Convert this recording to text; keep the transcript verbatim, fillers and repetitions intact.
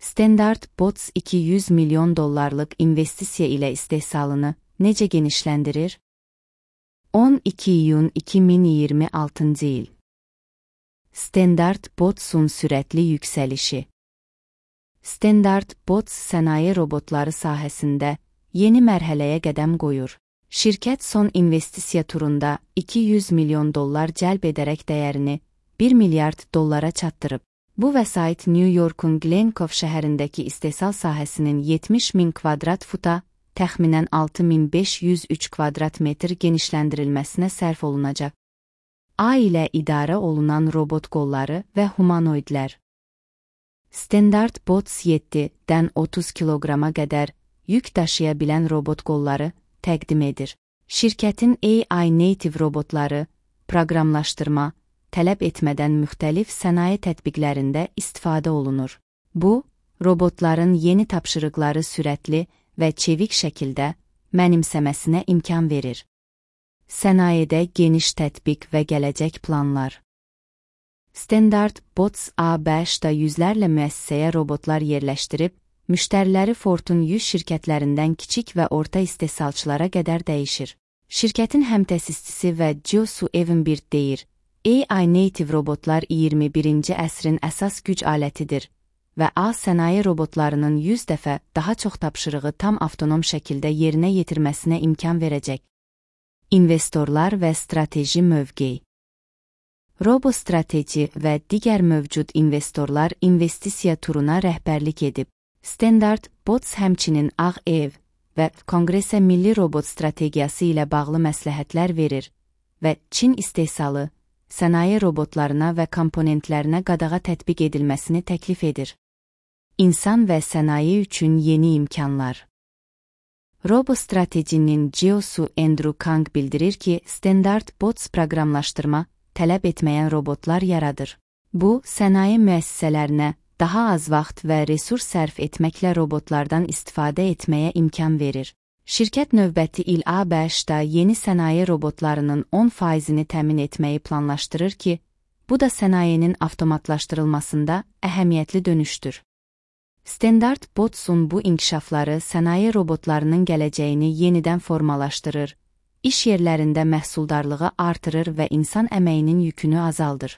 Standard Bots iki yüz milyon dollarlıq investisiya ilə istehsalını necə genişləndirir? on iki iyun iki min iyirmi altıncı il. Standard Bots'un sürətli yüksəlişi. Standard Bots sənaye robotları sahəsində yeni mərhələyə qədəm qoyur. Şirkət son investisiya turunda iki yüz milyon dollar cəlb edərək dəyərini bir milyard dollara çatdırıb. Bu vəsait New York'un Glencove şəhərindəki istehsal sahəsinin yetmiş min kvadrat futa, təxminən altı min beş yüz üç kvadrat metr genişləndirilməsinə sərf olunacaq. A ilə idarə olunan robot qolları və humanoidlər. Standard Bots yeddidən otuz kiloqrama qədər yük daşıya bilən robot qolları təqdim edir. Şirkətin A I native robotları, proqramlaşdırma, tələb etmədən müxtəlif sənaye tətbiqlərində istifadə olunur. Bu, robotların yeni tapşırıqları sürətli və çevik şəkildə mənimsəməsinə imkan verir. Sənayedə geniş tətbiq və gələcək planlar. Standard Bots A B Ş-da yüzlərlə müəssisəyə robotlar yerləşdirib, müştəriləri Ford'un yüz şirkətlərindən kiçik və orta istehsalçılara qədər dəyişir. Şirkətin həmtəsisçisi və Jiosoo Evenbird deyir, A I native robotlar iyirmi birinci əsrin əsas güc alətidir və A sənaye robotlarının yüz dəfə daha çox tapşırığı tam avtonom şəkildə yerinə yetirməsinə imkan verəcək. İnvestorlar və strateji mövqeyi. RoboStrateji və digər mövcud investorlar investisiya turuna rəhbərlik edib. Standard Bots həmçinin Ağ Ev və Konqresə milli robot strategiyası ilə bağlı məsləhətlər verir və Çin istehsalı, sənaye robotlarına və komponentlərinə qadağa tətbiq edilməsini təklif edir. İnsan və sənaye üçün yeni imkanlar. RoboStratejinin C E O'su Andrew Kang bildirir ki, Standard Bots proqramlaşdırma, tələb etməyən robotlar yaradır. Bu, sənaye müəssisələrinə daha az vaxt və resurs sərf etməklə robotlardan istifadə etməyə imkan verir. Şirkət növbəti il A B Ş-da yeni sənaye robotlarının on faizini təmin etməyi planlaşdırır ki, bu da sənayenin avtomatlaşdırılmasında əhəmiyyətli dönüşdür. Standard Bots'un bu inkişafları sənaye robotlarının gələcəyini yenidən formalaşdırır, iş yerlərində məhsuldarlığı artırır və insan əməyinin yükünü azaldır.